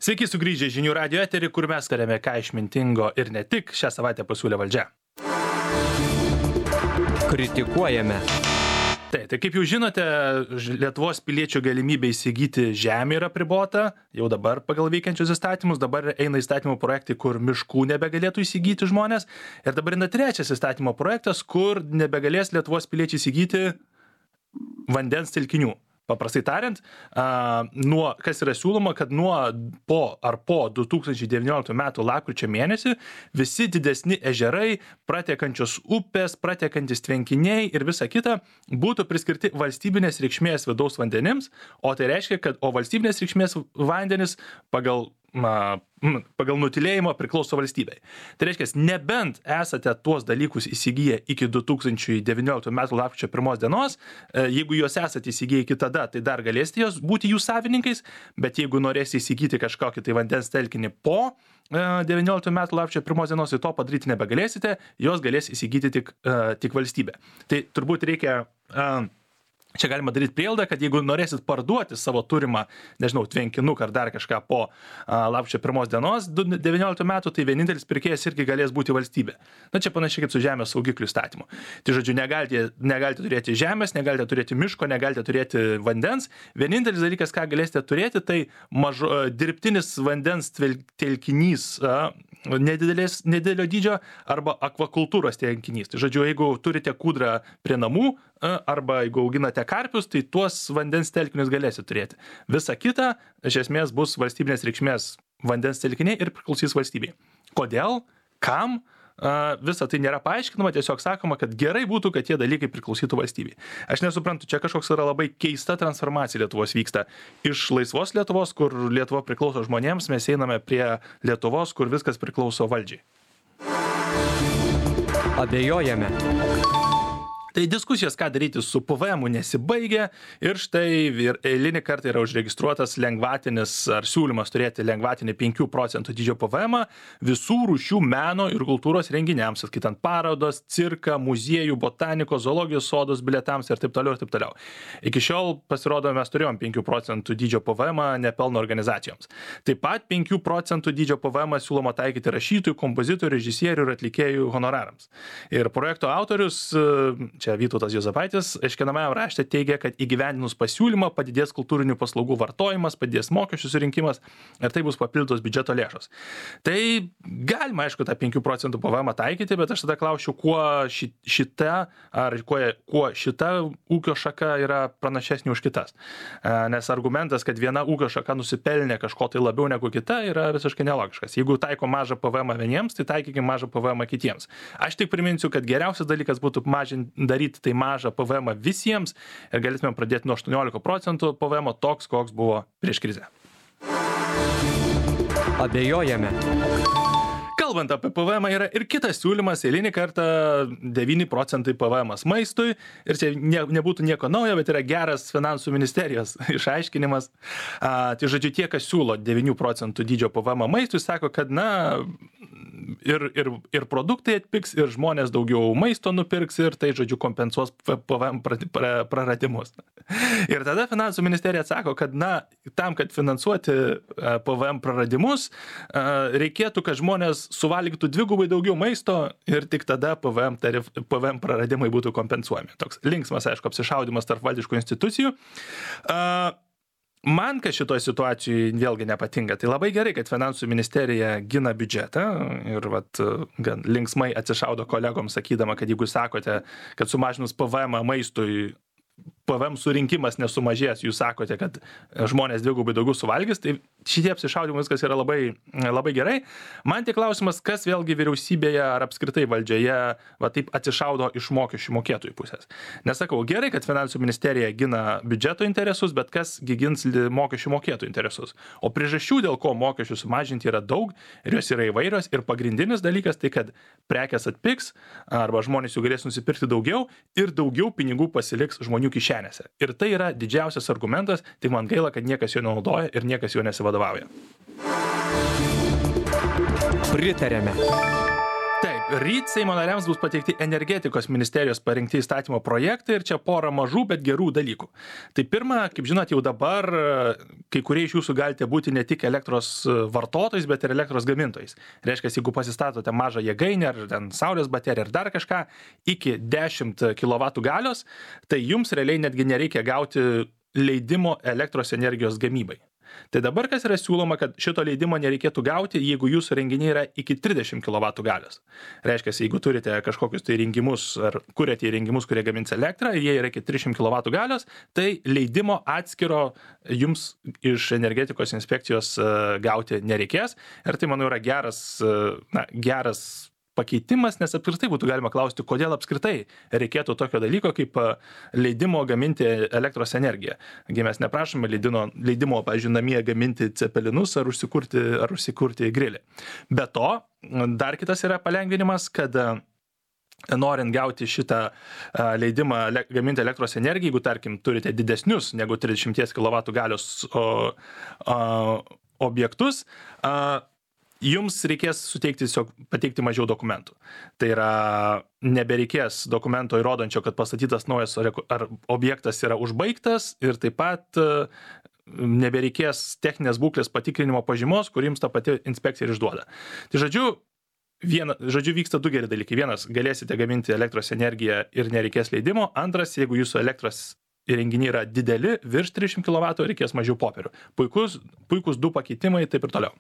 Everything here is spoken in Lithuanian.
Sveiki sugrįžę žinių radijo eterį, kur mes tariame ką išmintingo ir ne tik šią savaitę pasiūlė valdžia. Kritikuojame. Tai kaip jau žinote, Lietuvos piliečių galimybė įsigyti žemę yra apribota, jau dabar pagal veikiančius įstatymus, dabar eina įstatymų projektai, kur miškų nebegalėtų įsigyti žmonės, ir dabar eina trečias įstatymo projektas, kur nebegalės Lietuvos piliečiai įsigyti vandens telkinių. Paprastai tariant, kas yra siūloma, kad po 2019 metų lapkričio mėnesį visi didesni ežerai, pratekančios upės, pratekantis tvenkiniai ir visa kita būtų priskirti valstybinės reikšmės vidaus vandenims, o tai reiškia, kad valstybinės reikšmės vandenis pagal nutilėjimą priklauso valstybei. Tai reiškia, nebent esate tuos dalykus įsigiję iki 2019 metų lapkričio 1 dienos, jeigu juos esate įsigiję iki tada, tai dar galėsite jos būti jų savininkais, bet jeigu norėsite įsigyti kažkokį tai vandens telkinį po 19 metų lapkričio 1 dienos, tai to padaryti nebegalėsite, jos galės įsigyti tik valstybė. Tai turbūt reikia... Čia galima daryti prielaidą, kad jeigu norėsit parduoti savo turimą, tvenkinuką ar dar kažką po lapkričio 1 dienos 19 metų, tai vienintelis pirkėjas irgi galės būti valstybė. Čia panašiai kaip su žemės saugiklių įstatymu. Tai žodžiu, negalite turėti žemės, negalite turėti miško, negalite turėti vandens. Vienintelis dalykas, ką galėsite turėti, tai dirbtinis vandens telkinys nedidelio dydžio arba akvakultūros telkinys. Tai žodžiu, jeigu turite kūdrą prie namų arba jeigu auginate karpius, tai tuos vandens telkinius galėsite turėti. Visa kita, iš esmės, bus valstybinės reikšmės vandens telkiniai ir priklausys valstybei. Kodėl? Kam? Visa tai nėra paaiškinama, tiesiog sakoma, kad gerai būtų, kad tie dalykai priklausytų valstybei. Aš nesuprantu, čia kažkoks yra labai keista transformacija Lietuvos vyksta. Iš laisvos Lietuvos, kur Lietuva priklauso žmonėms, mes einame prie Lietuvos, kur viskas priklauso valdžiai. Abejojame. Tai diskusijos, ką daryti su PVM-u, nesibaigia ir štai eilinį kartą yra užregistruotas lengvatinis ar siūlymas turėti lengvatinį 5% dydžio PVM visų rūšių meno ir kultūros renginiams, atskaitant parodos, cirką, muziejų, botanikos, zoologijos sodus, bilietams ir taip toliau ir taip toliau. Iki šiol, pasirodo, mes turėjom 5% dydžio PVM nepelno organizacijoms. Taip pat 5% dydžio PVM siūloma taikyti rašytojų, kompozitorių, režisierių ir atlikėjų honorarams. Ir projekto autorius, čia Vytautas Juozapaitis, aiškinamajam rašte teigia, kad įgyvendinus pasiūlymą padidės kultūrinių paslaugų vartojimas, padidės mokesčių surinkimas ir tai bus papildytos biudžeto lėšos. Tai galima, aišku, tą 5% PVM taikyti, bet aš tada klausčiau, kuo šita ūkio šaka yra pranašesnė už kitas. Nes argumentas, kad viena ūkio šaka nusipelnė kažko tai labiau negu kita, yra visiškai nelogiškas. Jeigu taiko mažą PVM vieniems, tai taikykime mažą PVM kitiems. Aš tik priminsiu, kad geriausias dalykas būtų daryti tai mažą PVM visiems ir galėtume pradėti nuo 18% PVM toks, koks buvo prieš krizę. Abejojame. Kalbant apie PVM yra ir kitas siūlymas, eilinį kartą 9% PVM maistui ir čia nebūtų nieko naujo, bet yra geras finansų ministerijos išaiškinimas. Tai žodžiu, tie, kas siūlo 9% dydžio PVM maistui, sako, kad ir produktai atpigs, ir žmonės daugiau maisto nupirks ir tai, žodžiu, kompensuos PVM praradimus. Ir tada finansų ministerija atsako, kad tam, kad finansuoti PVM praradimus, reikėtų, kad žmonės suvalgytų dvigubai daugiau maisto ir tik tada PVM praradimai būtų kompensuojami. Toks linksmas, aišku, apsišaudimas tarp valdiškų institucijų. Man, kad šitoje situacijoje vėlgi nepatinka, tai labai gerai, kad finansų ministerija gina biudžetą ir gan linksmai atsišaudo kolegoms sakydama, kad jeigu sakote, kad sumažinus PVM maistui PVM surinkimas nesumažės, jūs sakote, kad žmonės dvigubai daugiau suvalgys, tai šitie apsišaudimai viskas yra labai, labai gerai. Man tik klausimas, kas vėlgi vyriausybėje ar apskritai valdžioje taip atsišaudo iš mokesčių mokėtojų pusės. Nesakau, gerai, kad finansų ministerija gina biudžeto interesus, bet kas gins mokesčių mokėtojų interesus. O priežasčių, dėl ko mokesčių sumažinti yra daug ir jos yra įvairios ir pagrindinis dalykas tai, kad prekės atpigs arba žmonės jų galės nusipirkti daugiau ir daugiau pinigų pasiliks žmonių kišenėse. Ir tai yra didžiausias argumentas, tik man gaila, kad niekas jo nenaudoja ir niekas jo nesivadovauja. Pritarėme. Taip, Taip, ryt Seimo nariams bus pateikti energetikos ministerijos parinkti įstatymo projektai ir čia pora mažų, bet gerų dalykų. Tai pirma, kaip žinot, jau dabar kai kurie iš jūsų galite būti ne tik elektros vartotojais, bet ir elektros gamintojais. Reiškia, jeigu pasistatote mažą jėgainę ar ten saulės bateriją ar dar kažką iki 10 kW galios, tai jums realiai netgi nereikia gauti leidimo elektros energijos gamybai. Tai dabar kas yra siūloma, kad šito leidimo nereikėtų gauti, jeigu jūsų renginiai yra iki 30 kW galios. Reiškia, jeigu turite kažkokius tai įrengimus ar kuriate įrengimus, kurie gamins elektrą ir jie yra iki 300 kW galios, tai leidimo atskiro jums iš energetikos inspekcijos gauti nereikės. Ir tai, manau, yra geras pakeitimas, nes apskritai būtų galima klausti, kodėl apskritai reikėtų tokio dalyko kaip leidimo gaminti elektros energiją. Mes neprašome leidimo, pavyzdžiui, namie gaminti cepelinus ar užsikurti grilį. Be to, dar kitas yra palengvinimas, kad norint gauti šitą leidimą gaminti elektros energiją, jeigu, tarkim, turite didesnius negu 30 kW galios objektus, jums reikės pateikti mažiau dokumentų. Tai yra, nebereikės dokumento įrodančio, kad pastatytas naujas ar objektas yra užbaigtas ir taip pat nebereikės techninės būklės patikrinimo pažymos, kur jums ta pati inspekcija ir išduoda. Tai žodžiu vyksta du geri dalykai. Vienas, galėsite gaminti elektros energiją ir nereikės leidimo. Antras, jeigu jūsų elektros įrenginiai yra dideli, virš 300 kW, reikės mažiau popierių. Puikus du pakeitimai, taip ir toliau.